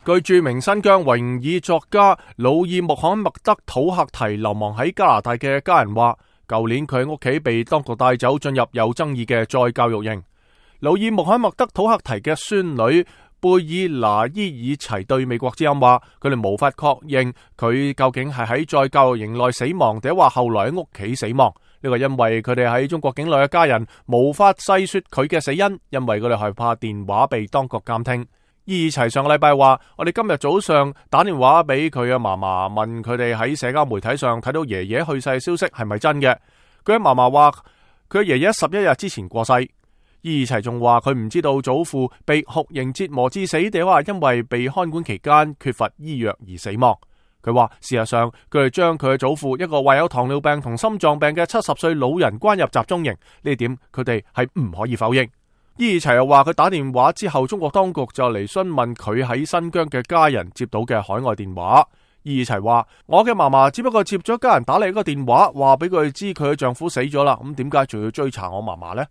據著名新疆維吾爾作家魯爾穆罕默德土克提流亡喺加拿大嘅家人話，舊年佢喺屋企被當局帶走進入有爭議嘅再教育營。魯爾穆罕默德土克提嘅孫女貝爾拿伊爾齊對美國之音話，佢哋無法確認佢究竟係喺再教育營內死亡，定話後來喺屋企死亡。呢個因為佢哋喺中國境內嘅家人無法細說佢嘅死因，因為佢哋害怕電話被當局監聽。伊爾齊上個禮拜話，我哋今日早上打電話俾佢嘅嫲嫲，問佢哋喺社交媒體上睇到爺爺去世嘅消息係咪真嘅。佢嘅嫲嫲話，佢爺爺11日之前過世。伊爾齊仲話佢唔知道祖父被酷刑折磨致死，定話因為被看管期間缺乏醫藥而死亡。佢話事實上佢哋將佢嘅祖父一個患有糖尿病同心臟病嘅70歲老人關入集中營，呢點佢哋係唔可以否認。伊爾齊又話佢打電話之後，中國當局就嚟詢問佢喺新疆嘅家人接到嘅海外電話。伊爾齊話，我嘅嫲嫲只不過接咗家人打嚟一個電話，話俾佢知佢嘅丈夫死咗啦，咁點解仲要追查我嫲嫲呢？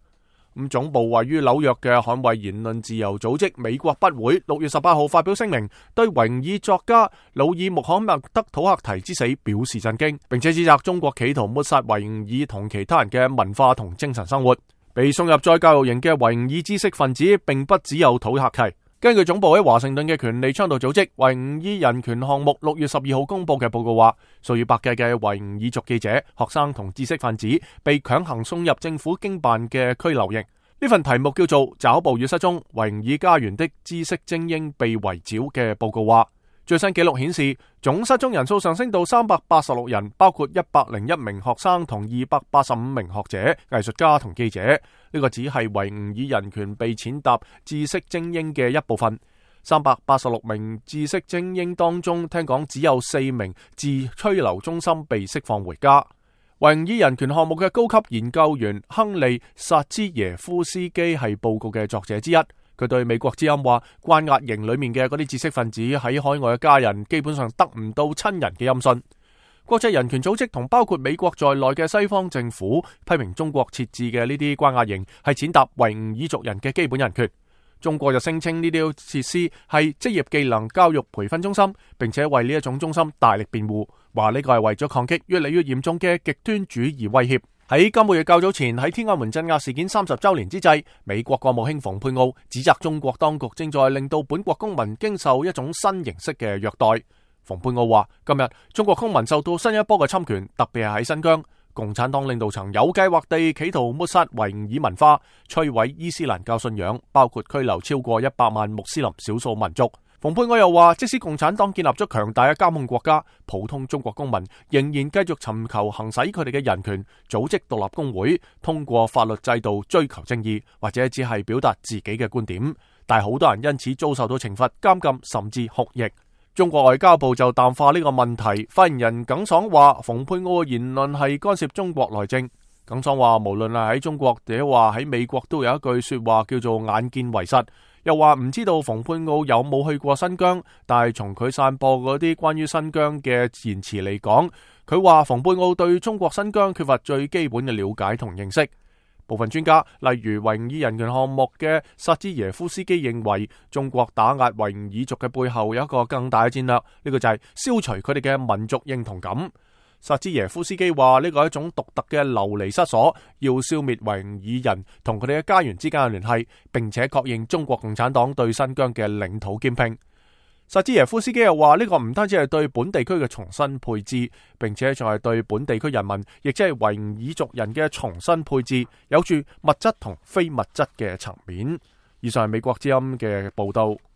咁總部位於紐約嘅捍衛言論自由組織美國筆會6月18號發表聲明，對維吾爾作家魯爾穆罕默德土克提之死表示震驚，並且指責中國企圖抹殺維吾爾同其他人嘅文化同精神生活。被送入再教育營嘅維吾爾知識分子並不只有土克提。根據總部喺華盛頓嘅權利倡導組織維吾爾人權項目6月12號公佈嘅報告話，數以百計嘅維吾爾族記者、學生同知識分子被強行送入政府經辦嘅拘留營。呢份題目叫做《抓捕與失蹤：維吾爾家園的知識精英被圍剿》嘅報告話，最新紀錄顯示，總失蹤人數上升到386人，包括101名學生同285名學者、藝術家同記者。呢個只係維吾爾人權被踐踏知識精英嘅一部分。386名知識精英當中，聽講只有4名自拘留中心被釋放回家。維吾爾人權項目嘅高級研究員亨利·薩茲耶夫斯基係報告嘅作者之一。佢對美國之音話，關押營裏面嘅嗰啲知識分子喺海外嘅家人基本上得唔到親人嘅音訊。國際人權組織同包括美國在內嘅西方政府批評中國設置嘅呢啲關押營係踐踏維吾爾族人嘅基本人權。中國就聲稱呢啲設施係職業技能教育培訓中心，並且為呢一種中心大力辯護，話呢個係為咗抗擊越嚟越嚴重嘅極端主義威脅。喺今個月較早前，喺天安門鎮壓事件30週年之際，美國國務卿蓬佩奧指責中國當局正在令到本國公民經受一種新形式嘅虐待。蓬佩奧話，今日中國公民受到新一波嘅侵權，特別係喺新疆，共產黨領導層有計劃地企圖抹殺維吾爾文化，摧毀伊斯蘭教信仰，包括拘留超過100萬穆斯林少數民族。蓬佩奧又話，即使共產黨建立咗強大嘅監控國家，普通中國公民仍然繼續尋求行使佢哋嘅人權，組織獨立工會，通過法律制度追求正義，或者只係表達自己嘅觀點。但係好多人因此遭受到懲罰、監禁甚至酷刑。中國外交部就淡化呢個問題，發言人耿爽話，蓬佩奧嘅言論係干涉中國內政。耿爽話，無論係喺中國或話喺美國，都有一句說話叫做眼見為實。又話唔知道蓬佩奧有冇去過新疆，但係從佢散播嗰啲關於新疆嘅言辭嚟講，佢話蓬佩奧對中國新疆缺乏最基本嘅了解同認識。部分專家，例如維吾爾人權項目嘅薩茲耶夫斯基認為，中國打壓維吾爾族嘅背後有一個更大嘅戰略，呢個就係消除佢哋嘅民族認同感。薩茲耶夫斯基話，呢個係一種獨特嘅流離失所，要消滅維吾爾人同佢哋嘅家園之間嘅聯繫，並且確認中國共產黨對新疆嘅領土兼併。薩茲耶夫斯基又話，呢個唔單止係對本地區嘅重新配置，並且仲係對本地區人民，亦即係維吾爾族人嘅重新配置，有住物質同非物質嘅層面。以上係美國之音嘅報道。